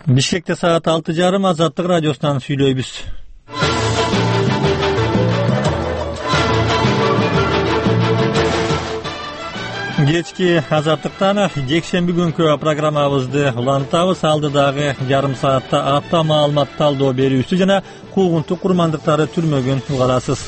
Бишкекте саат 6:30 Азаттык радиосунан сүйлөйбүз. Кечки Азаттыктан жекшемби күнкү программабызды улантабыз. Алдыдагы жарым саатта атта маалымат талдоо берүүсү жана куугунтук курмандыктары түрмөгүн угарасыз.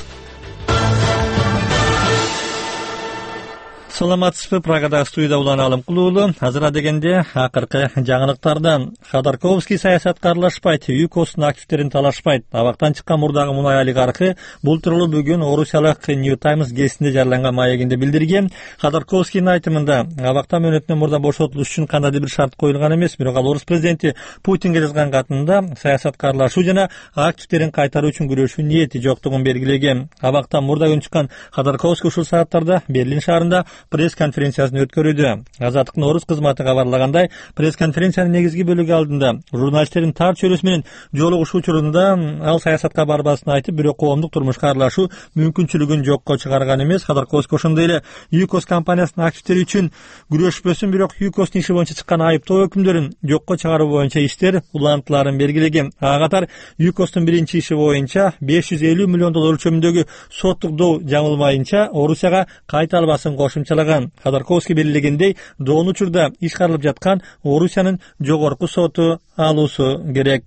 Саламатсызбы, Прагада студияда Улан Алымкулуулу. Азыр дегенде акыркы жаңылыктардан. Ходорковский саясатка аралашпайт, ЮКОстун активдерин талашпайт. Абактан чыккан мурдагы мунай олигархы бул тууралуу бүгүн орусиялык New Times гезитинде жарыяланган маегинде билдирген. Ходорковскийдин айтымында абактан мөөнөтүнөн мурда бошотулуш үчүн кандайдыр бир шарт коюлган эмес, бирок ал орус президенти Путинге жазган катында саясатка аралашуу жана активдерин кайтаруу үчүн күрөшүү ниети жоктугун белгилеген. Абактан мурда күн чыккан Ходорковский ушул сааттарда Берлин шаарында пресс-конференциясын өткөрүүдө. Азаттыктын орус кызматы кабарлагандай, пресс-конференциянын негизги бөлүгү алдында журналисттердин тар чөйрөсү менен жолугушуу учурунда ал саясатка барбасын айтып, бирок коомдук турмушка аралашуу мүмкүнчүлүгүн жокко чыгарган эмес. Ходорковский ошондой эле ЮКОс компаниясынын активдери үчүн күрөшпөсүн, бирок ЮКОстун иши боюнча чыккан айыптоо өкүмдөрүн жокко чыгаруу боюнча иштер улантыларын белгилеген. Ага катар ЮКОстун биринчи иши боюнча 550 миллион доллар өлчөмүндөгү соттук доо жаңылмайынча Орусияга кайта албасын кошумчалаган. Ходорковский белгилегендей, доон учурда иш каралып жаткан Орусиянын жогорку соту алуусу керек.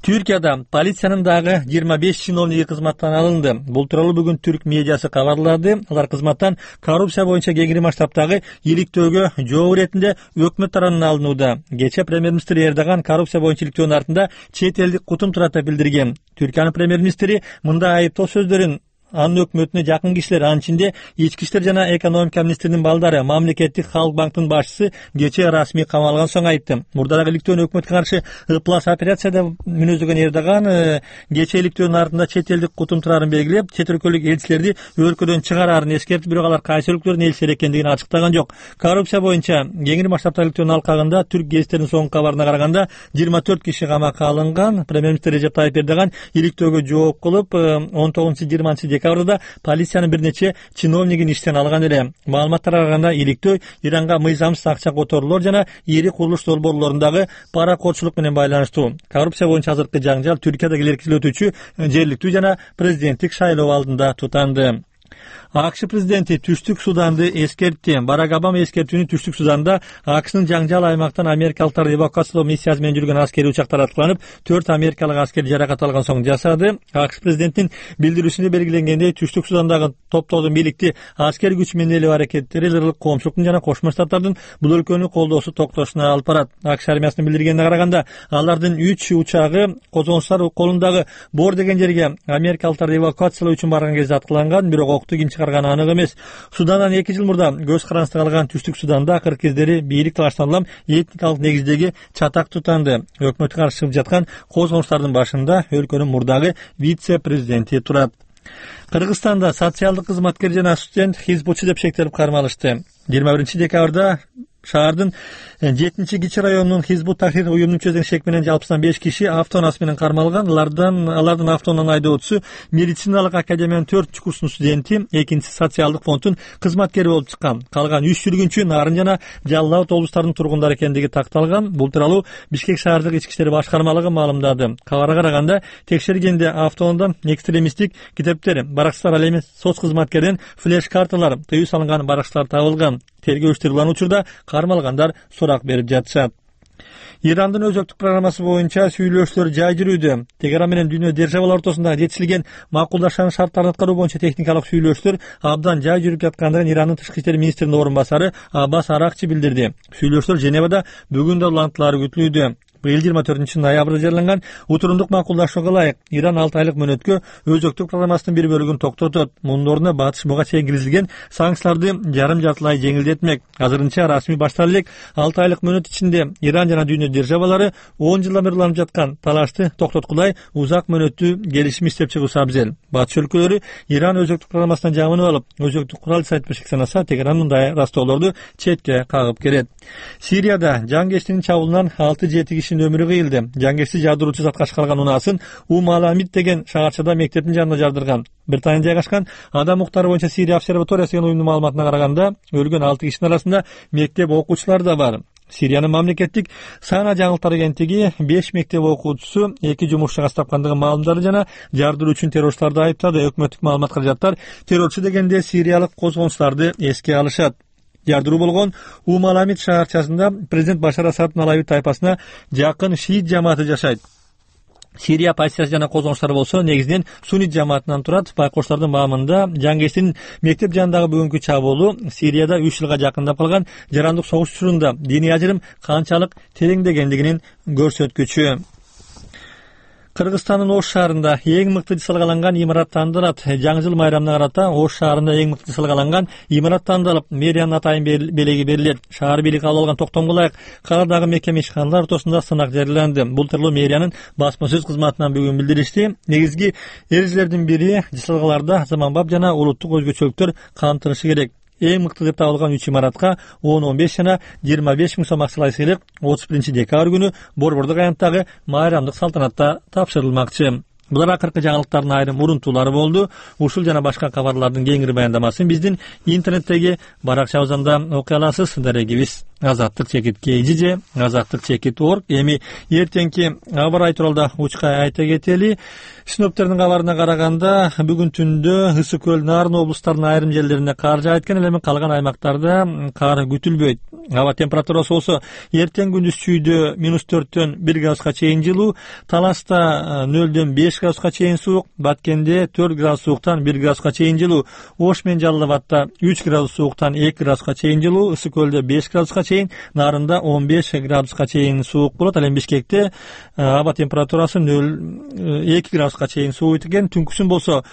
Түркияда полициянын дагы 25 чиновниги кызматтан алынды. Бул тууралуу бүгүн түрк медиасы кабарлады. Алар кызматтан коррупция боюнча кеңири масштабтагы иликтөөгө жооп иретинде өкмөт тарабынан алынууда. Кечээ премьер-министр Эрдоган коррупция боюнча иликтөөнүн артында чет элдик кутум турат деп билдирген. Түркиянын премьер-министри мындай айыптоо сөздөрүн анын өкмөтүнө жакын кишилер, анын ичинде ички иштер жана экономика министринин балдары, мамлекеттик Халк банктын башчысы кечээ расмий камалган соң айтты. Мурдараак иликтөөнү өкмөткө каршы ыплас операция деп мүнөздөгөн Эрдоган кечээ иликтөөнүн артында чет элдик кутум турарын белгилеп, чет өлкөлүк элчилерди өлкөдөн чыгарарын эскертип, бирок алар кайсы өлкөлөрдүн элчилери экендигин ачыктаган жок. Коррупция боюнча кеңири масштабтагы иликтөөнүн алкагында түрк гезиттеринин соңку кабарына караганда 24 киши камакка алынган. Премьер-министр Режеп Тайип Эрдоган иликтөөгө жооп кылып 19-20 декабрда полициянын бир нече чиновнигин иштен алган эле. Маалыматтарга караганда иликтөө Иранга мыйзамсыз акча которуулар жана ири курулуш долбоорлорундагы паракотчулук менен байланыштуу. Коррупция боюнча азыркы жаңжал Түркияда келеркилүү өтүүчү жергиликтүү жана президенттик шайлоо алдында тутанды. АКШ президенти Түштүк Суданды эскертти. Барак Обама эскертүүнү Түштүк Суданда АКШнын жаңжал аймактан америкалыктарды эвакуациялоо миссиясы менен жүргөн аскерий учактар аткыланып, 4 америкалык аскер жаракат алган соң жасады. АКШ президентинин билдирүүсүндө белгиленгендей, Түштүк Судандагы топтоодун бийликти аскер күч менен элүү аракеттери лырлык коомчулуктун жана Кошмо Штаттардын бул өлкөнү колдоосу токтошуна алып барат. АКШ армиясынын билдиргенине караганда, алардын 3 учагы козгончулар колундагы Бор деген жерге америкалыктарды эвакуациялоо үчүн барган кезде аткыланган, бирок окту ким чыгарганы анык эмес. Судандан 2 жыл мурда көз карандысына калган Түштүк Суданда акыркы кездери бийлик талаштан улам этникалык негиздеги чатак тутанды. Өкмөткө каршы чыгып жаткан козгонуштардын башында өлкөнүн мурдагы вице-президенти турат. Кыргызстанда социалдык кызматкер жана студент хизбутчу деп шектелип кармалышты. 21 декабрда шаардын 7-Кичи районунун Хизбут Тахрир уюмунун мүчөсүнүн шек менен жалпысынан 5 киши автоунаас менен кармалган. Алардын автоунан айдоочусу медициналык академиянын 4-курстун студенти, экинчиси социалдык фонддун кызматкери болуп чыккан. Калган 3 жүргүнчү Нарын жана Жалал Абад облустарынын тургундары экендиги такталган. Бул тууралуу Бишкек шаардык ички иштер башкармалыгы маалымдады. Кабарга караганда, текшергенде автоундан экстремисттик китептер, баракчылар ал эми соц кызматкерден флеш карталар, тыюу салынган баракчылар табылган. Тергөө иштери улан учурда кармалгандар сурак берип жатышат. Ирандын өзөктүк программасы боюнча сүйлөшүүлөр жай жүрүүдө. Тегеран менен дүйнө державалар ортосунда жетишилген макулдашуунун шарттарын аткаруу боюнча техникалык сүйлөшүүлөр абдан жай жүрүп жаткандыгын Ирандын тышкы иштер министринин орун басары Аббас Аракчи билдирди. Сүйлөшүүлөр Женевада бүгүн да улантылары күтүлүүдө. Быйыл 24 ноябрда жарыяланган утурундук макулдашууга ылайык Иран 6 айлык мөөнөткө өзөктүк программасынын бир бөлүгүн токтотот. Мунун ордуна батыш буга чейин киргизилген санкцияларды жарым-жартылай жеңилдетмек. Азырынча расмий баштала элек 6 айлык мөөнөт ичинде Иран жана дүйнө державалары 10 жылдан бери уланып жаткан талашты токтоткулай узак мөөнөттүү келишим иштеп чыгуусу абзел. Батыш өлкөлөрү Иран өзөктүк программасынан жамынып алып, өзөктүк курал сайтпешик санаса, Тегеран мындай растоолорду четке кагып келет. Сирияда жангечтин чабуулунан 6-7 кишинин өмүрү кыйылды. Жангечти жадыруучу затка ашкарган унаасын Аламид деген шаарчада мектептин жанына жардырган. Британияда жайгашкан Адам укуктары боюнча Сирия обсерваториясы деген уюмдун маалыматына караганда, өлгөн 6 кишинин арасында мектеп окуучулары да бар. Сириянын мамлекеттик Сана жаңылыктар агенттиги 5 мектеп окуучусу 2 жумуш чыгас тапкандыгын маалымдады жана жардыруу үчүн террорчуларды айыптады. Өкмөттүк маалымат каражаттар террорчу дегенде сириялык козгончуларды эске алышат. Жардыруу болгон Умаламид шаарчасында президент Башар Асаддын Алавит тайпасына жакын шиит жамааты жашайт. Сирия оппозициясы жана козгончулар болсо негизинен суннит жамаатынан турат. Байкоштардын маамында жаңгестин мектеп жанындагы бүгүнкү чабуулу Сирияда 3 жылга жакындап калган жарандык согуш учурунда диний ажырым канчалык тереңдегендигинин көрсөткүчү. Кыргызстандын Ош шаарында эң мыкты салгаланган имарат тандалат. Жаңы жыл майрамына карата Ош шаарында эң мыкты салгаланган имарат тандалып, мэриянын атайын белеги берилет. Шаар бийлиги кабыл алган токтомго ылайык кааладагы мекеме ишканалар ортосунда сынак жарыяланды. Бул тууралуу мэриянын басма сөз кызматынан бүгүн билдиришти. Негизги эрежелердин бири салгаларда заманбап жана улуттук өзгөчөлүктөр камтылышы керек. Эң мыкты деп табылган 3 имаратка 10-15 жана 25 миң сом акчалай сыйлык 31 декабрь күнү Борбордук аянттагы майрамдык салтанатта тапшырылмакчы. Булар акыркы жаңылыктардын айрым урунтуулары болду. Ушул жана башка кабарлардын кеңири баяндамасын биздин интернеттеги баракчабызда окуй аласыз. Дарегибиз Азаттык чекит KG, Азаттык чекит org. Эми эртеңки аба ырайы тууралуу учка айта кетели. Синоптиктердин кабарына караганда бүгүн түндө Ысык көл, Нарын облустарынын айрым жерлерине кар жаайт экен, эми калган аймактарда кар күтүлбөйт. Аба температурасы болсо эртең күндүз чүйдө -4төн 1 градуска чейин жылуу, Таласта 0дөн 5 градуска чейин суук, Баткенде 4 градус сууктан 1 градуска чейин жылуу, Ош менен Жалал Абадта 3 градус сууктан 2 градуска чейин жылуу, Ысык көлдө 5 градуска чейин, Нарында 15 градуска чейин суук болот. Ал эми Бишкекте аба температурасы 2 градуска чейин сууйт экен. Түнкүсүн болсо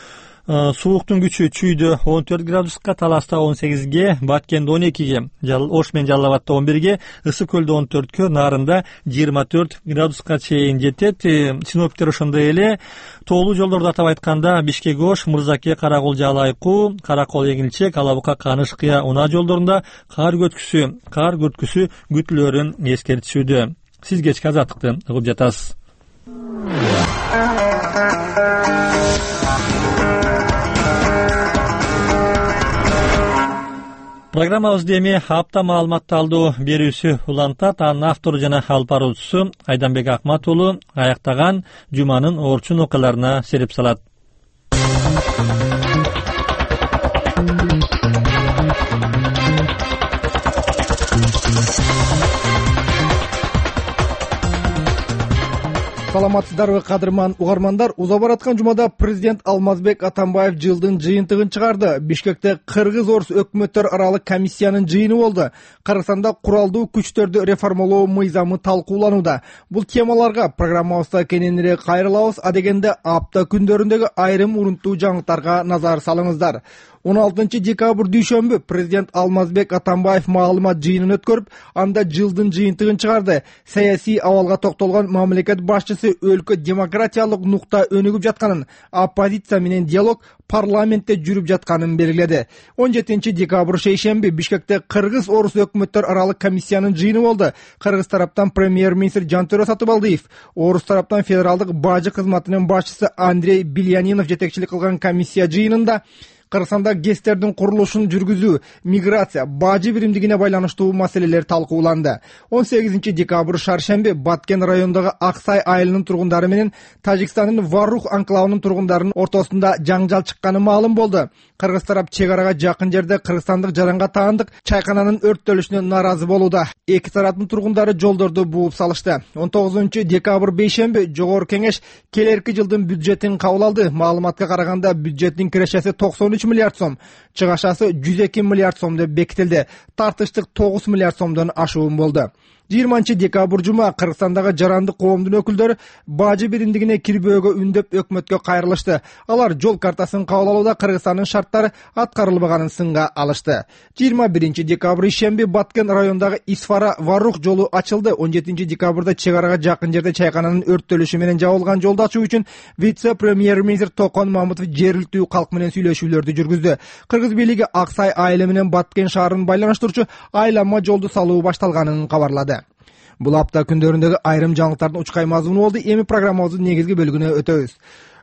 сууктун күчү чүйдө 14 градуска, Таласта 18ге, Баткенде 12ге, Ош менен Жалал Абадта 11ге, Ысык көлдө 14кө, Нарында 24 градуска чейин жетет. Синоптиктер ошондой эле тоолуу жолдорду атап айтканда Бишкек Ош, Мырзаке, Каракол, Жалайкуу, Каракол, Эгилчек, Алабука, Каныш, Кыя, Унаа жолдорунда кар күткүсү күтүлөрүн эскертишүүдө. Сиз кечки азаттыкты угуп жатасыз. Программабызды эми апта маалыматты алдоо берүүсү улантат. Анын автору жана алып баруучусу Айданбек Акмат уулу аяктаган жуманын орчун окуяларына сереп салат. Саламатсыздарбы кадырман угармандар. Уза бараткан жумада президент Алмазбек Атамбаев жылдын жыйынтыгын чыгарды. Бишкекте кыргыз-орус өкмөттөр аралык комиссиянын жыйыны болду. Кыргызстанда куралдуу күчтөрдү реформалоо мыйзамы талкууланууда. Бул темаларга программабызда кененирээк кайрылабыз. Адегенде апта күндөрүндөгү айрым урунттуу жаңылыктарга назар салыңыздар. 16 декабрь дүйшөмбү президент Алмазбек Атамбаев маалымат жыйынын өткөрүп, анда жылдын жыйынтыгын чыгарды. Саясий абалга токтолгон мамлекет башчысы өлкө демократиялык нукта өнүгүп жатканын, оппозиция менен диалог парламентте жүрүп жатканын белгиледи. 17 декабрь шейшемби Бишкекте кыргыз-орус өкмөттөр аралык комиссиянын жыйыны болду. Кыргыз тараптан премьер-министр Жантөрө Сатыбалдиев, орус тараптан федералдык бажы кызматынын башчысы Андрей Бильянинов жетекчилик кылган комиссия жыйынында Кыргызстанда ГЭСтердин курулушун жүргүзүү, миграция, бажы биримдигине байланыштуу маселелер талкууланды. 18 декабрь шаршемби Баткен районундагы Аксай айылынын тургундары менен Тажикстандын Варух анклавынын тургундарынын ортосунда жаңжал чыкканы маалым болду. Кыргыз тарап чек арага жакын жерде кыргызстандык жаранга таандык чайкананын өрттөлүшүнө нааразы болууда. Эки тараптын тургундары жолдорду бууп салышты. 19 декабрь бейшемби Жогорку Кеңеш келерки жылдын бюджетин кабыл алды. Маалыматка караганда бюджеттин кирешеси 93 миллиард сом, чыгашасы 102 миллиард сом деп бекитилди. Тартыштык 9 миллиард сомдон ашуун болду. 20 декабрь жума Кыргызстандагы жарандык коомдун өкүлдөрү бажы биримдигине кирбөөгө үндөп өкмөткө кайрылышты. Алар жол картасын кабыл алууда Кыргызстандын шарттары аткарылбаганын сынга алышты. 21 декабрь ишемби Баткен районундагы Исфара Варух жолу ачылды. 17 декабрда чек арага жакын жерде чайкананын өрттөлүшү менен жабылган жолду ачуу үчүн вице-премьер-министр Токон Мамытов жергиликтүү калк менен сүйлөшүүлөрдү жүргүздү. Кыргыз бийлиги Аксай айылы менен Баткен шаарын байланыштыруучу айланма жолду салуу башталганын кабарлады. Бул апта күндөрүндөгү айрым жаңылыктардын учкай мазмуну болду. Эми программабыздын негизги бөлүгүнө өтөбүз.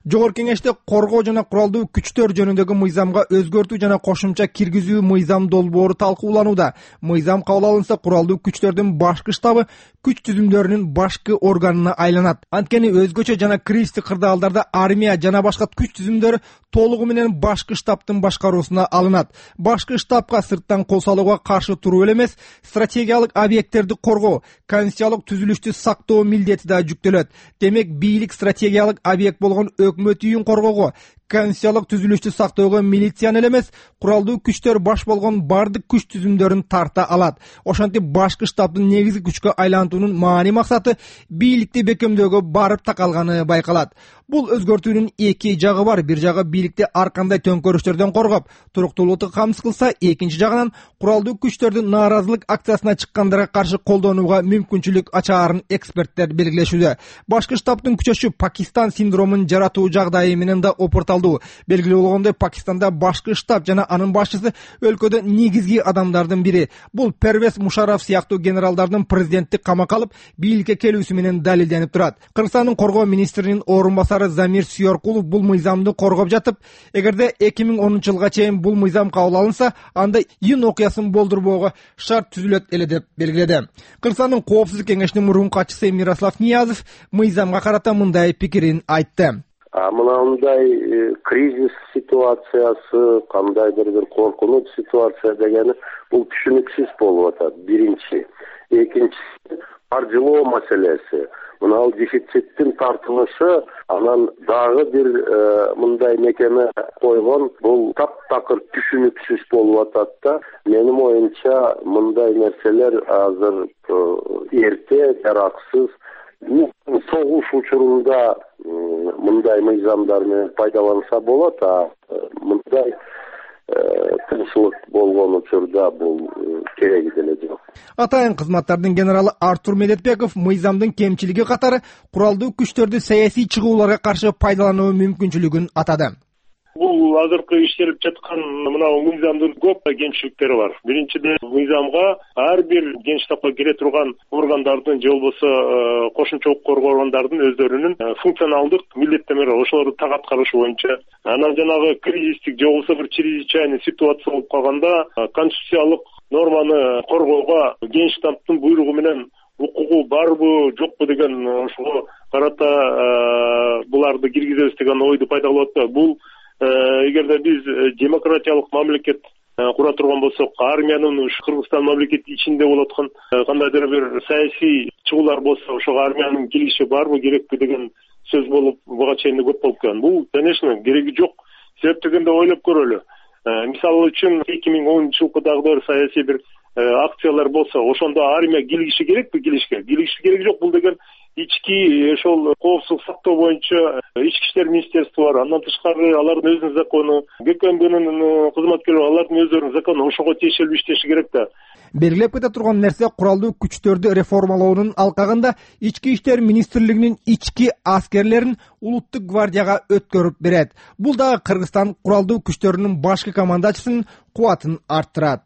Жогорку Кеңеште коргоо жана куралдуу күчтөр жөнүндөгү мыйзамга өзгөртүү жана кошумча киргизүү мыйзам долбоору талкууланууда. Мыйзам кабыл алынса, куралдуу күчтөрдүн башкы штабы күч түзүмдөрүнүн башкы органына айланат. Анткени өзгөчө жана кризистик кырдаалдарда армия жана башка күч түзүмдөрү толугу менен башкы штабтын башкаруусуна алынат. Башкы штабка сырттан кол салууга каршы туруу эле эмес, стратегиялык объекттерди коргоо, конституциялык түзүлүштү сактоо милдети да жүктөлөт. Демек, бийлик стратегиялык объект болгон өкмөт үйүн коргоого, конституциялык түзүлүштү сактоого милицияны эле эмес, куралдуу күчтөр баш болгон бардык күч түзүмдөрүн тарта алат. Ошентип, башкы штабтын негизги күчкө айлантуунун маани максаты бийликти бекемдөөгө барып такалганы байкалат. Бул өзгөртүүнүн эки жагы бар. Бир жагы бийликти ар кандай төңкөрүштөрдөн коргоп, туруктуулукту камсыз кылса, экинчи жагынан куралдуу күчтөрдү нааразылык акциясына чыккандарга каршы колдонууга мүмкүнчүлүк ачаарын эксперттер белгилешүүдө. Башкы штабтын күчөшү Пакистан синдромун жаратуу жагдайы менен да опурталдуу. Белгилүү болгондой, Пакистанда башкы штаб жана анын башчысы өлкөдө негизги адамдардын бири. Бул Первез Мушарраф сыяктуу генералдардын президентти камакка алып, бийликке келүүсү менен далилденип турат. Кыргызстандын коргоо министринин орун басары Замир Сүйөркулов бул мыйзамды коргоп жатып, эгерде 2010-жылга чейин бул мыйзам кабыл алынса, анда июнь окуясын болдурбоого шарт түзүлөт эле деп белгиледи. Кыргызстандын коопсуздук кеңешинин мурунку катчысы Мирослав Ниязов мыйзамга карата мындай пикирин айтты. Мындай кризис ситуациясы, кандайдыр бир коркунуч ситуация дегени бул түшүнүксүз болуп атат. Биринчи, экинчиси каржылоо маселеси. Мына дефициттин тартылышы, анан дагы бир мындай мекеме койгон, бул таптакыр түшүнүксүз болуп атат да. Менин оюмча, мындай нерселер азыр эрте, жараксыз. Согуш учурунда мындай мыйзамдар менен пайдаланса болот, мындай тынччылык болгон учурда бул кереги деле жок. Атайын кызматтардын генералы Артур Медетбеков мыйзамдын кемчилиги катары куралдуу күчтөрдү саясий чыгууларга каршы пайдалануу мүмкүнчүлүгүн атады. Бул азыркы иштелип жаткан мына мыйзамдын көп кемчиликтери бар. Биринчиден, мыйзамга ар бир генштабка кире турган органдардын же болбосо кошумча коргоо органдардын өздөрүнүн функционалдык милдеттенмелери, ошолорду так аткарышы боюнча. Анан жанагы кризистик же болбосо бир чрезвычайный ситуация болуп калганда конституциялык норманы коргоого генштабтын буйругу менен укугу барбы, жокпу деген ошого карата буларды киргизебиз деген ойду пайда кылып атпайбы. Бул эгерде биз демократиялык мамлекет кура турган болсок, армиянын Кыргызстан мамлекети ичинде болуп аткан кандайдыр бир саясий чыгуулар болсо, ошого армиянын кириши барбы, керекпи деген сөз болуп, буга чейин көп болуп келген. Бул, конечно, кереги жок. Себеп дегенде ойлоп көрөлү. Мисалы үчүн 2010-жылкы дагы бир саясий бир акциялар болсо, ошондо армия кириши керекпи? Кириши кереги жок. Бул деген ички ошол коопсуздук сактоо боюнча ички иштер министерствосу бар. Андан тышкары алардын өзүнүн закону, ГКМБнын кызматкерлери алардын өздөрүнүн закону, ошого тиешелүү иштеши керек да. Белгилеп кете турган нерсе, куралдуу күчтөрдү реформалоонун алкагында ички иштер министрлигинин ички аскерлерин улуттук гвардияга өткөрүп берет. Бул дагы Кыргызстан куралдуу күчтөрүнүн башкы командачысынын кубатын арттырат.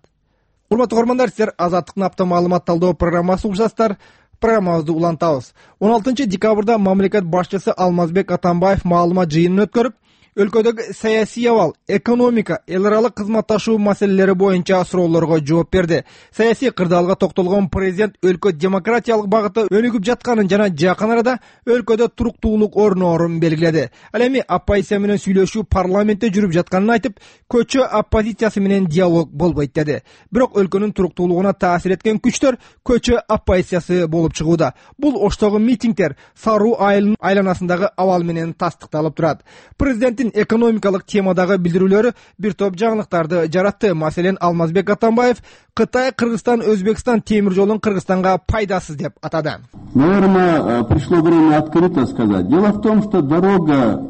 Урматтуу көрөрмандар, силер Азаттыктын апта маалымат талдоо программасы угушасыздар. Программабызды улантабыз. 16 декабрда мамлекет башчысы Алмазбек Атамбаев маалымат жыйынын өткөрүп, өлкөдөгү саясий абал, экономика, эл аралык кызматташуу маселелери боюнча суроолорго жооп берди. Саясий кырдаалга токтолгон президент өлкө демократиялык багытта өнүгүп жатканын жана жакын арада өлкөдө туруктуулук орноорун белгиледи. Ал эми оппозиция менен сүйлөшүү парламентте жүрүп жатканын айтып, көчө оппозициясы менен диалог болбойт деди. Бирок өлкөнүн туруктуулугуна таасир эткен күчтөр көчө оппозициясы болуп чыгууда. Бул Оштогу митингдер Саруу айылынын айланасындагы абал менен тастыкталып турат. Президент экономикалык темадагы билдирүүлөрү бир топ жаңылыктарды жаратты. Маселен, Алмазбек Атамбаев Кытай, Кыргызстан, Өзбекстан темир жолун Кыргызстанга пайдасыз деп атады. Наверное, пришло время открыто сказать. Дело в том, что дорога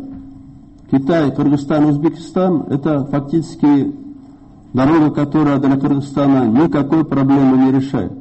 Китай, Кыргызстан, Узбекистан — это фактически дорога, которая для Кыргызстана никакой проблемы не решает.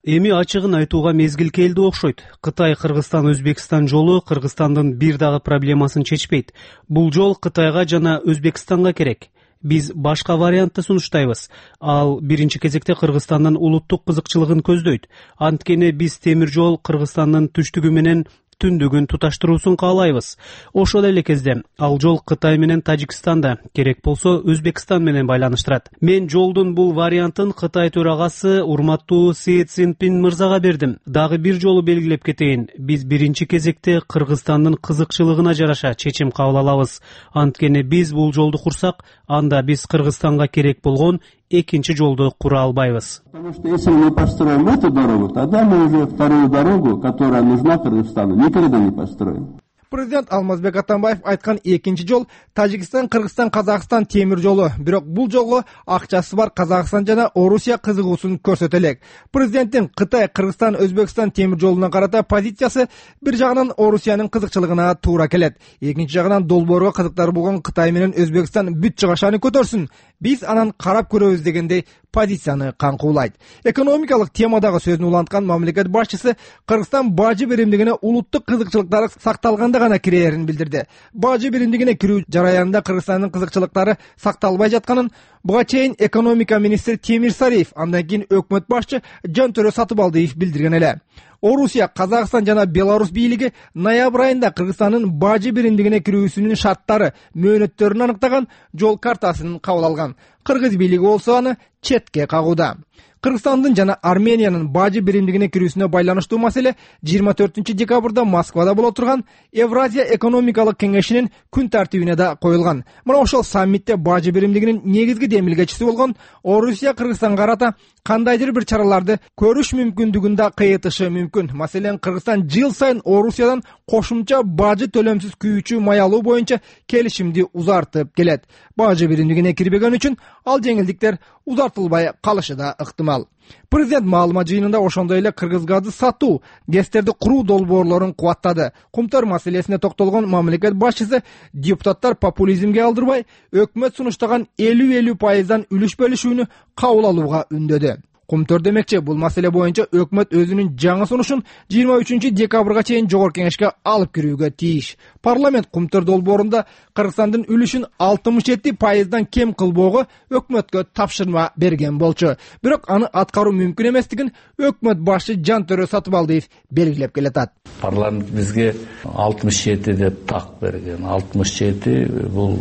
Эми ачыгын айтууга мезгил келди окшойт. Кытай, Кыргызстан, Өзбекстан жолу Кыргызстандын бир дагы проблемасын чечпейт. Бул жол Кытайга жана Өзбекстанга керек. Биз башка вариантты сунуштайбыз. Ал биринчи кезекте Кыргызстандын улуттук кызыкчылыгын көздөйт. Анткени биз темир жол Кыргызстандын түштүгү менен түндүгүн туташтыруусун каалайбыз. Ошол эле кезде ал жол Кытай менен Тажикстанда, керек болсо Өзбекстан менен байланыштырат. Мен жолдун бул вариантын Кытай төрагасы урматтуу Си Цзиньпин мырзага бердим. Дагы бир жолу белгилеп кетейин, биз биринчи кезекте Кыргызстандын кызыкчылыгына жараша чечим кабыл алабыз. Анткени биз бул жолду курсак, анда биз Кыргызстанга керек болгон экинчи жолду кура албайбыз. Потому что если мы построим эту дорогу, тогда мы уже вторую дорогу, которая нужна Кыргызстану, никогда не построим. Президент Алмазбек Атамбаев айткан экинчи жол Тажикстан, Кыргызстан, Казакстан темир жолу. Бирок бул жолго акчасы бар Казакстан жана Орусия кызыгуусун көрсөтө элек. Президенттин Кытай, Кыргызстан, Өзбекстан темир жолуна карата позициясы бир жагынан Орусиянын кызыкчылыгына туура келет. Экинчи жагынан долбоорго кызыктар болгон Кытай менен Өзбекстан бүт чыгашаны көтөрсүн. Биз анан карап көрөбүз дегендей позицияны каңкуулайт. Экономикалык темадагы сөзүн уланткан мамлекет башчысы Кыргызстан бажы беримдигине улуттук кызыкчылыктары сакталганда гана кирээрин билдирди. Бажы беримдигине кирүү жараянында Кыргызстандын кызыкчылыктары сакталбай жатканын буга чейин экономика министри Темир Сариев, андан кийин өкмөт башчы Жантөрө Сатыбалдиев билдирген эле. Орусия, Казакстан жана Беларусь бийлиги ноябрь айында Кыргызстандын бажы беримдигине кирүүсүнүн шарттары, мөөнөттөрүн аныктаган жол картасын кабыл алган. Кыргыз бийлиги болсо аны четке кагууда. Кыргызстандын жана Армениянын бажы беримдигине кирүүсүнө байланыштуу маселе 24-декабрда Москвада боло турган Евразия экономикалык кеңешинин күн тартибине да коюлган. Мына ошол саммитте бажы беримдигинин негизги демилгечиси болгон Орусия Кыргызстанга карата кандайдыр бир чараларды көрүш мүмкүндүгүн да кыйытышы мүмкүн. Маселен, Кыргызстан жыл сайын Орусиядан кошумча бажы төлөмсүз күйүүчү май алуу боюнча келишимди узартып келет. Бажы беримдигине кирбеген үчүн ал жеңилдиктер узартылбай калышы да ыктымал. Президент маалымат жыйынында ошондой эле кыргыз газы сатуу, ГЭСтерди куруу долбоорлорун кубаттады. Кумтөр маселесине токтолгон мамлекет башчысы депутаттар популизмге алдырбай, өкмөт сунуштаган 50-50% үлүш бөлүшүүнү кабыл алууга үндөдү. Кумтөр демекчи, бул маселе боюнча өкмөт өзүнүн жаңы сунушун 23-декабрга чейин жогорку кеңешке алып кирүүгө тийиш. Парламент Кумтөр долбоорунда Кыргызстандын үлүшүн 67% кем кылбоого өкмөткө тапшырма берген болчу. Бирок аны аткаруу мүмкүн эместигин өкмөт башчы Жантөрө Сатыбалдиев белгилеп келатат. Парламент бизге 67 деп так берген. 67 бул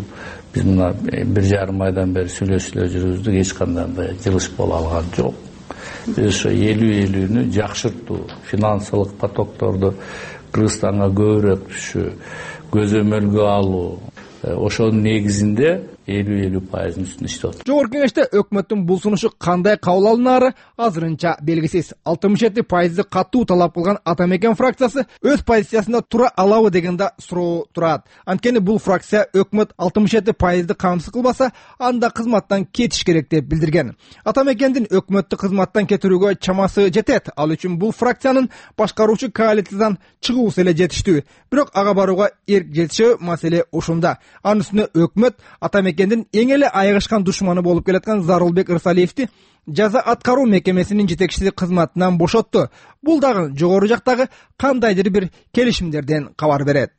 биз мына 1,5 айдан бери сүйлөшүлө жүрүбүздүк, эч кандай жылыш боло алган жок. Биз ошо 50-50-нү жакшыртуу, финансылык потокторду Кыргызстанга көбүрөөк түшүү, көзөмөлгө алуу, ошонун негизинде 50-50% үстүндө иштеп атат. Жогорку кеңеште өкмөттүн бул сунушу кандай кабыл алынаары азырынча белгисиз. 67% катуу талап кылган Атамекен фракциясы өз позициясында тура алабы деген да суроо турат. Анткени бул фракция өкмөт 67% камсыз кылбаса, анда кызматтан кетиш керек деп билдирген. Атамекендин өкмөттү кызматтан кетирүүгө чамасы жетет. Ал үчүн бул фракциянын башкаруучу коалициядан чыгуусу эле жетиштүү. Бирок ага барууга эрк жетишеби маселе ушунда. Анын үстүнө өкмөт Атамекендин эң эле айыгышкан душманы болуп келаткан Зарылбек Ырсалиевди жаза аткаруу мекемесинин жетекчиси кызматынан бошотту. Бул дагы жогору жактагы кандайдыр бир келишимдерден кабар берет.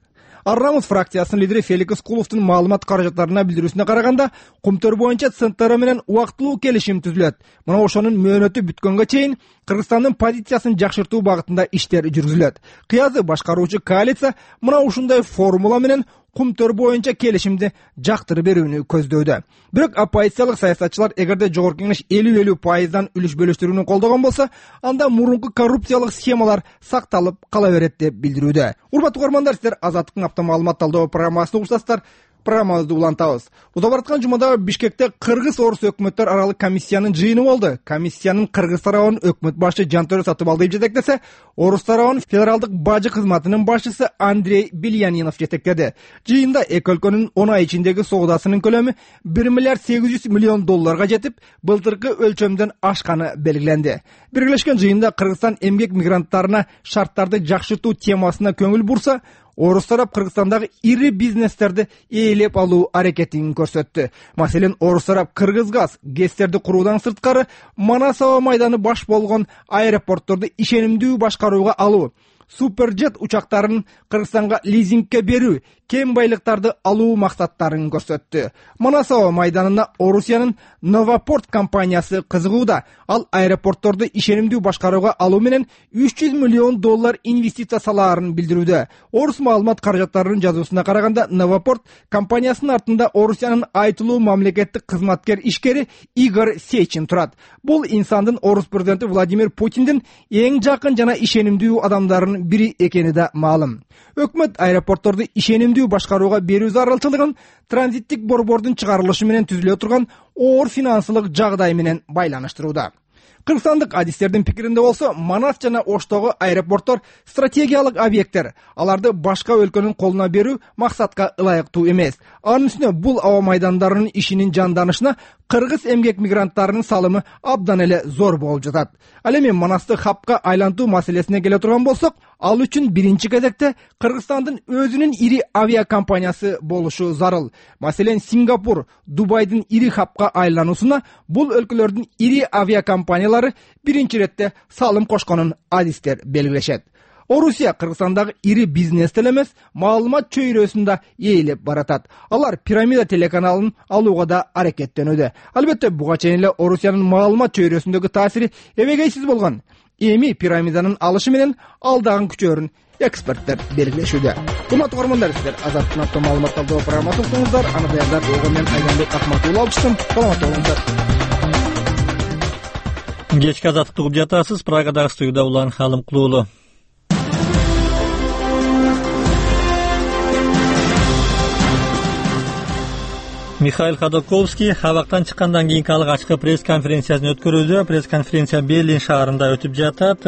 Арнамыз фракциясынын лидери Феликс Куловдун маалымат каражаттарына билдирүүсүнө караганда, Кумтөр боюнча ЦНТР менен убактылуу келишим түзүлөт. Мына ошонун мөөнөтү бүткөнгө чейин Кыргызстандын позициясын жакшыртуу багытында иштер жүргүзүлөт. Кыязы башкаруучу коалиция мына ушундай формула менен Кумтөр боюнча келишимди жактырып берүүнү көздөдө. Бирок оппозициялык саясатчылар эгерде жогорку кеңеш 50-50% үлүш бөлүштүрүүнү колдогон болсо, анда мурунку коррупциялык схемалар сакталып кала берет деп билдирүүдө. Урматтуу угармандар, сиздер Азаттыктын апта маалымат талдоо программасын угушасыздар. Программабызды улантабыз. Узап бараткан жумада Бишкекте Кыргыз-Орус өкмөттөр аралык комиссиянын жыйыны болду. Комиссиянын Кыргыз тарабын өкмөт башчы Жантөрө Сатыбалдиев жетектесе, Орус тарабын федералдык бажы кызматынын башчысы Андрей Бельянинов жетектеди. Жыйында эки өлкөнүн 10 ай ичиндеги соодасынын көлөмү $1 миллиард 800 миллион жетип, былтыркы өлчөмдөн ашканы белгиленди. Биргелешкен жыйында Кыргызстан эмгек мигранттарына шарттарды жакшыртуу темасына көңүл бурса, Орус тарап Кыргызстандагы ири бизнестерди ээлеп алуу аракетин көрсөттү. Маселен, Орус тарап Кыргызгаз ГЭСтерди куруудан сырткары Манас аба майданы баш болгон аэропортторду ишенимдүү башкарууга алуу, суперджет учактарын Кыргызстанга лизингке берүү, кем байлыктарды алуу максаттарын көрсөттү. Манас аба майданына Орусиянын Новопорт компаниясы кызыгууда. Ал аэропортторду ишенимдүү башкарууга алуу менен $300 миллион инвестиция салаарын билдирүүдө. Орус маалымат каражаттарынын жазуусуна караганда, Новопорт компаниясынын артында Орусиянын айтылуу мамлекеттик кызматкер ишкери Игорь Сечин турат. Бул инсандын Орус президенти Владимир Путиндин эң жакын жана ишенимдүү адамдарынын бири экени да маалым. Өкмөт аэропортторду ишенимдүү башкарууга берүү зарылчылыгын транзиттик борбордун чыгарылышы менен түзүлө турган оор финансылык жагдай менен байланыштырууда. Кыргызстандык адистердин пикиринде болсо, Манас жана Оштогу аэропорттор стратегиялык объекттер. Аларды башка өлкөнүн колуна берүү максатка ылайыктуу эмес. Анын үстүнө бул аба майдандарынын ишинин жанданышына кыргыз эмгек мигранттарынын салымы абдан эле зор болуп жатат. Ал эми Манасты хабка айлантуу маселесине келе турган болсок, ал үчүн биринчи кезекте Кыргызстандын өзүнүн ири авиакомпаниясы болушу зарыл. Маселен, Сингапур, Дубайдын ири хабка айлануусуна бул өлкөлөрдүн ири авиакомпаниялары биринчи иретте салым кошконун адистер белгилешет. Орусия Кыргызстандагы ири бизнес эле маалымат чөйрөсүндө ээлеп баратат. Алар Пирамида телеканалын алууга да аракеттенүүдө. Албетте, буга чейин эле Орусиянын маалымат чөйрөсүндөгү таасири эбегейсиз болгон. Эми Пирамиданын алышы менен ал дагы күчөөрүн эксперттер белгилешүүдө. Урматтуу көрөрмандар, сиздер Азаттын автор маалымат талдоо программасын уктуңуздар. Аны даярдап мен Айданбек Акматулла алыштым. Саламатта болуңуздар. Кечки азаттыкты угуп жатасыз. Прагадагы студияда Улан Халымкулуу уулу. Михаил Ходорковский абактан чыккандан кийинки алгачкы пресс-конференциясын өткөрүүдө. Пресс-конференция Берлин шаарында өтүп жатат.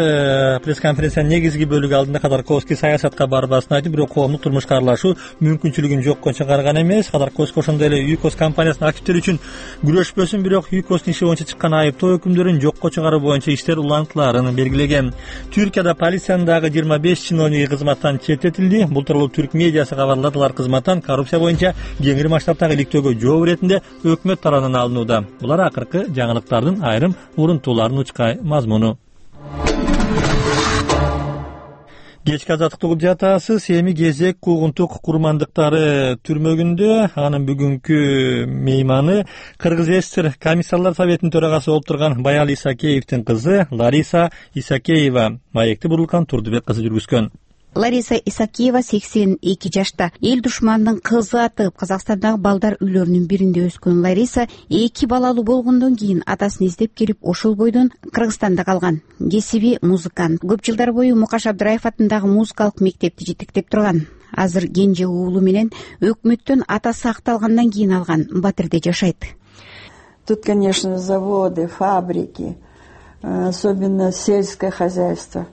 Пресс-конференциянын негизги бөлүгү алдында Ходорковский саясатка барбасын айтып, бирок коомдук турмушка аралашуу мүмкүнчүлүгүн жокко чыгарган эмес. Ходорковский ошондой эле ЮКОС компаниясынын активдери үчүн күрөшпөсүн, бирок ЮКОСтун иши боюнча чыккан айыптоо өкүмдөрүн жокко чыгаруу боюнча иштер улантыларын белгилеген. Түркияда полициянын дагы 25 чиновниги кызматтан четтетилди. Бул тууралуу түрк медиасы кабарлады. Алар кызматтан коррупция боюнча кеңири масштабтагы иликтөөгө жооп иретинде өкмөт тарабынан алынууда. Булар акыркы жаңылыктардын айрым урунтууларынын учкай мазмуну. Кечки азаттыкты угуп жатасыз. Эми кезек куугунтук курмандыктары түрмөгүндө. Анын бүгүнкү мейманы Кыргыз ССР комиссарлар советинин төрагасы болуп турган Баял Исакеевдин кызы Лариса Исакеева. Маекти Бурулкан Турдубек кызы жүргүзгөн. Лариса Исакеева 82 жашта. Эл душманынын кызы атып, Казакстандагы балдар үйлөрүнүн биринде өскөн Лариса 2 балалуу болгондон кийин атасын издеп келип, ошол бойдон Кыргызстанда калган. Кесиби музыкант. Көп жылдар бою Мукаш Абдраев атындагы музыкалык мектепти жетектеп турган. Азыр кенже уулу менен өкмөттөн атасы акталгандан кийин алган Батирде жашайт. Тут, конечно, заводы, фабрики, особенно сельское хозяйство.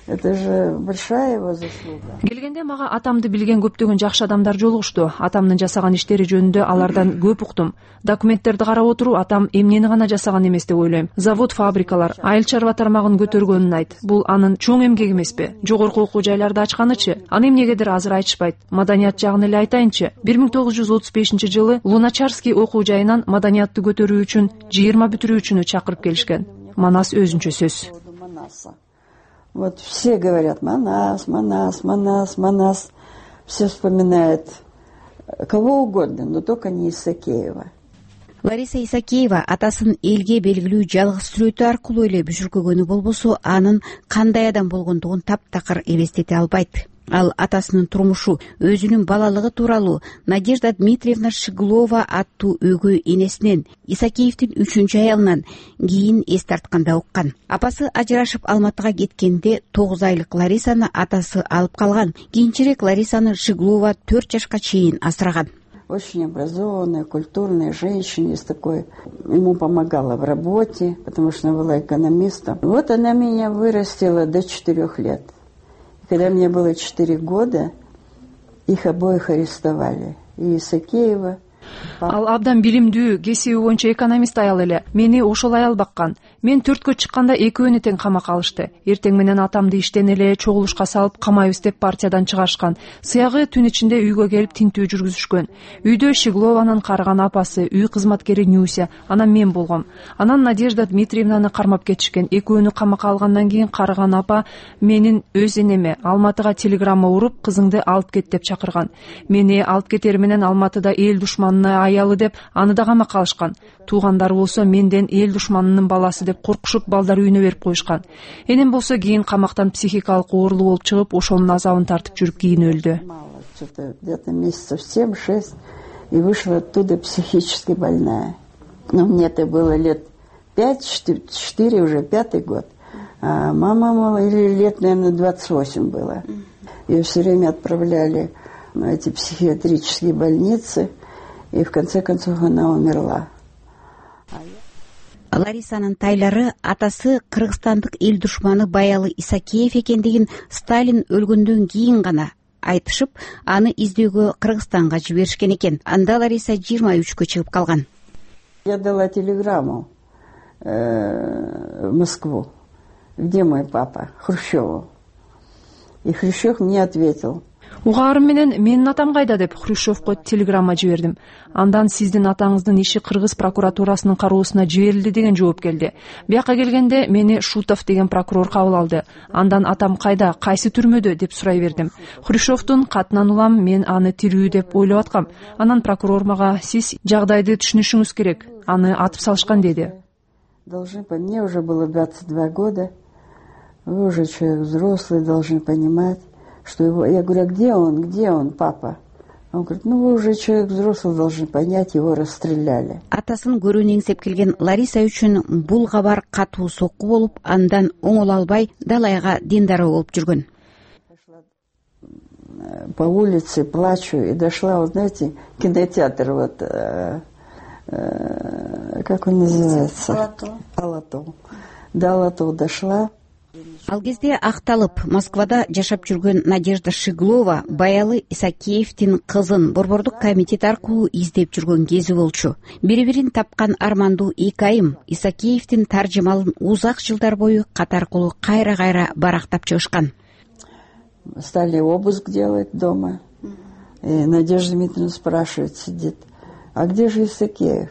Это же большая его заслуга. Келгенде мага атамды билген көптөгөн жакшы адамдар жолугушту. Атамдын жасаган иштери жөнүндө алардан көп уктум. Документтерди карап отуруп, атам эмнени гана жасаган эмес деп ойлойм. Завод, фабрикалар, айыл чарба тармагын көтөргөнүн айт. Бул анын чоң эмгеги эмеспи? Жогорку окуу жайларды ачканычы? Аны эмнегедир азыр айтышпайт. Маданият жагын эле айтайынчы. 1935-жылы Луначарский окуу жайынан маданиятты көтөрүү үчүн 20 бүтүрүүчүнү чакырып келишкен. Манас өзүнчө сөз. Вот все говорят Манас, Манас, Манас, Манас. Все вспоминают кого угодно, но только не Исакеева. Лариса Исакеева атасын элге белгилүү жалгыз сүрөтү аркылуу эле бүжүркөгөнү болбосо, анын кандай адам болгондугун таптакыр элестете албайт. Ал атасынын турмушу, өзүнүн балалыгы тууралуу Надежда Дмитриевна Шиглова аттуу өгөй энесинен, Исакеевдин 3-чү аялынан кийин эс тартканда уккан. Апасы ажырашып Алматыга кеткенде 9 айлык Ларисаны атасы алып калган. Кийинчерээк Ларисаны Шиглова 4 жашка чейин асыраган. Очень образованная, культурная женщина, с такой, ему помогала в работе, потому что она была экономистом. Вот она меня вырастила до 4 лет. Когда мне было 4 года, их обоих арестовали. И Исакеева. Ал абдан билимдүү, кесиби боюнча экономист аял эле. Мени ошол аял баккан. Мен 4кө чыкканда экөөнү тең камакка алышты. Эртең менен атамды иштен эле чогулушка салып камайбыз деп партиядан чыгарышкан. Сыягы түн ичинде үйгө келип тинтүү жүргүзүшкөн. Үйдө Щеглованын карыган апасы, үй кызматкери Нюся, анан мен болгом. Анан Надежда Дмитриевнаны кармап кетишкен. Экөөнү камакка алгандан кийин карыган апа менин өз энеме Алматыга телеграмма уруп, кызыңды алып кет деп чакырган. Мени алып кетери менен Алматыда эл душманына аялы деп аны да камакка алышкан. Туугандары болсо менден эл душманынын баласы деп коркушуп балдар үйүнө берип коюшкан. Энем болсо кийин камактан психикалык оорулуу болуп чыгып, ошонун азабын тартып жүрүп кийин өлдү. Где-то месяцев 7-6 и вышла оттуда психически больная. Но мне-то было лет 5-4, уже 5-й год. А мама, мало, или лет, наверное, 28 было. Ее все время отправляли в эти психиатрические больницы, и в конце концов она умерла. Ларисанын тайлары атасы кыргызстандык эл душманы Баялы Исакеев экендигин Сталин өлгөндөн кийин гана айтышып, аны издөөгө Кыргызстанга жиберишкен экен. Анда Лариса 23кө чыгып калган. Я дала телеграмму в Москву. Где мой папа? Хрущеву. И Хрущев мне ответил. Угаарым менен менин атам кайда деп Хрущевко телеграмма жибердим. Андан сиздин атаңыздын иши Кыргыз прокуратурасынын кароосуна жиберилди деген жооп келди. Бияка келгенде мени Шутов деген прокурор кабыл алды. Андан атам кайда, кайсы түрмөдө деп сурай бердим. Хрущевдун катынан улам мен аны тирүү деп ойлоп аткам. Анан прокурор мага сиз жагдайды түшүнүшүңүз керек. Аны атып салышкан деди. Должны по мне уже было 22 года. Вы уже человек взрослый, должны понимать, что его... Я говорю, а где он, папа? Он говорит, ну вы уже человек взрослый, должны понять, его расстреляли. Атасын көрүүнү эңсеп келген Лариса үчүн бул кабар катуу сокку болуп, андан оңоло албай далайга диндаруу болуп жүргөн. По улице плачу и дошла, вот знаете, кинотеатр вот, как он называется? Алатау. До Алатау дошла. Ал кезде акталып Москвада жашап жүргөн Надежда Щеглова Баялы Исакеевдин кызын борбордук комитет аркылуу издеп жүргөн кези болчу. Бири-бирин тапкан армандуу эки айым Исакеевдин таржымалын узак жылдар бою кат аркылуу кайра-кайра барактап чыгышкан. Стали обыск делать дома. И Надежда Дмитриевна спрашивает, сидит, а где же Исакеев?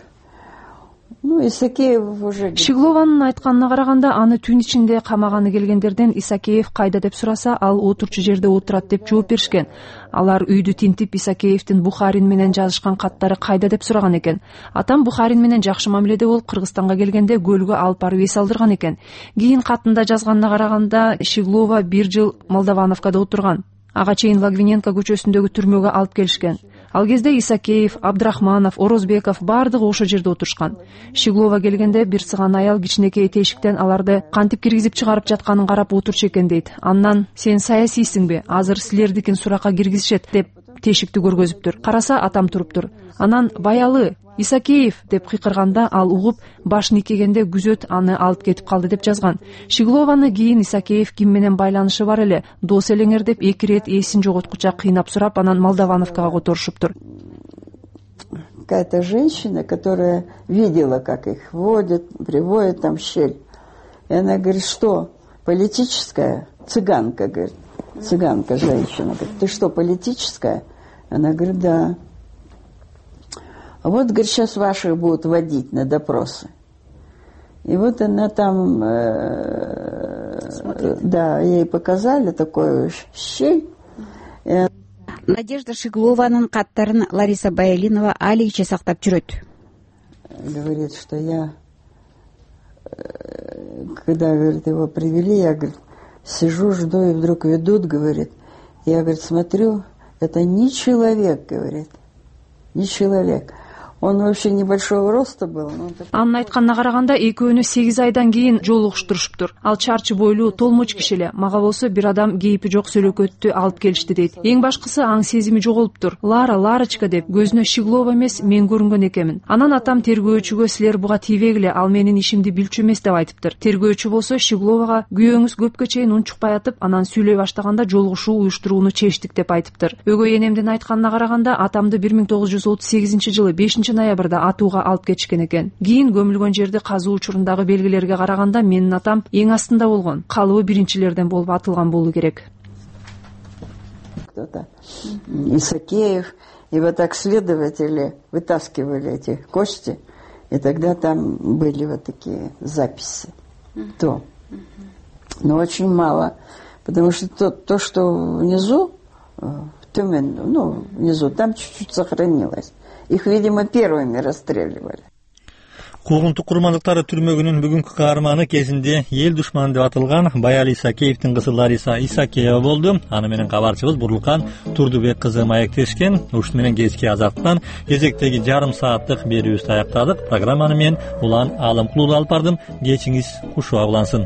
Ну, Исакеев уже... Щеглованын айтканына караганда, аны түн ичинде камаганы келгендерден Исакеев кайда деп сураса, ал отурчу жерде отурат деп жооп беришкен. Алар үйдү тинтип, Исакеевдин Бухарин менен жазышкан каттары кайда деп сураган экен. Атам Бухарин менен жакшы мамиледе болуп, Кыргызстанга келгенде көлгө алып барып эс алдырган экен. Кийин катында жазганына караганда, Щеглова 1 жыл Молдовановкада отурган. Ага чейин Логвиненко көчөсүндөгү түрмөгө алып келишкен. Ал кезде Исакеев, Абдрахманов, Орозбеков бардыгы ошол жерде отурушкан. Щеглова келгенде бир сыган аял кичинекей тешиктен аларды кантип киргизип чыгарып жатканын карап отурчу экен дейт. Андан сен саясийсиңби? Азыр силердикин суракка киргизишет деп тешикти көргөзүптүр. Караса атам туруптур. Анан Баялы Исакеев деп кыйкырганда ал угуп башын ийкегенде күзөт аны алып кетип калды деп жазган. Щеглованы кийин Исакеев ким менен байланышы бар эле, дос элеңер деп 2 рет эсин жоготкуча кыйнап сурап, анан Молдовановкага которушуптур. Какая-то женщина, которая видела, как их водят, приводят там в щель. И она говорит, что политическая? Цыганка, говорит. Цыганка женщина. Говорит, ты что, политическая? Она говорит, да. А вот, говорит, сейчас ваших будут водить на допросы. И вот она там, да, ей показали такую щель. Надежда Щеглованын каттарын Лариса Баялинова алигиче сактап жүрөт. Говорит, что я, когда, говорит, его привели, я, говорит, сижу, жду, и вдруг ведут, говорит. Я, говорит, смотрю, это не человек, говорит, не человек. Он вообще небольшого роста был. Анын айтканына караганда экөөнү 8 айдан кийин жолугуштуруштур. Ал чарчы бойлуу, толмоч киши эле. Мага болсо бир адам кейпи жок сөлөкөттү алып келишти дейт. Эң башкысы аң сезими жоголуптур. Ларочка деп көзүнө Щеглова эмес мен көрүнгөн экенмин. Анан атам тергөөчүгө силер буга тийбегиле, ал менин ишимди билчү эмес деп айтыптыр. Тергөөчү болсо Щегловага күйөөңүз көпкө чейин унчукпай атып, анан сүйлөй баштаганда жолугушуу уюштурууну чечтик деп айтыптыр. Өгөй энемдин айтканына караганда атамды 1938-жылы 5-ноябрда атууга алып кетишкен экен. Кийин көмүлгөн жерди казуу учурундагы белгилерге караганда менин атам эң астында болгон. Калыбы биринчилерден болуп атылган болуу керек. Кто-то Исакеев, и вот так следователи вытаскивали эти кости, и тогда там были вот такие записи. То. Но очень мало, потому что то, что внизу, внизу, там чуть-чуть сохранилось. Их, видимо, первыми расстреливали. Куугунтук курмандыктары түрмөгүнүн бүгүнкү каарманы кезинде эл душманы деп атылган Баял Исакеевдин кызы Лариса Исакеева болду. Аны менен кабарчыбыз Бурлукан Турдубек кызы маектешкен. Ушуну менен кечки азаттан кезектеги жарым сааттык берүүбүздү аяктадык. Программаны мен Улан Алымкулуу алып бардым. Кечиңиз кушуа улансын.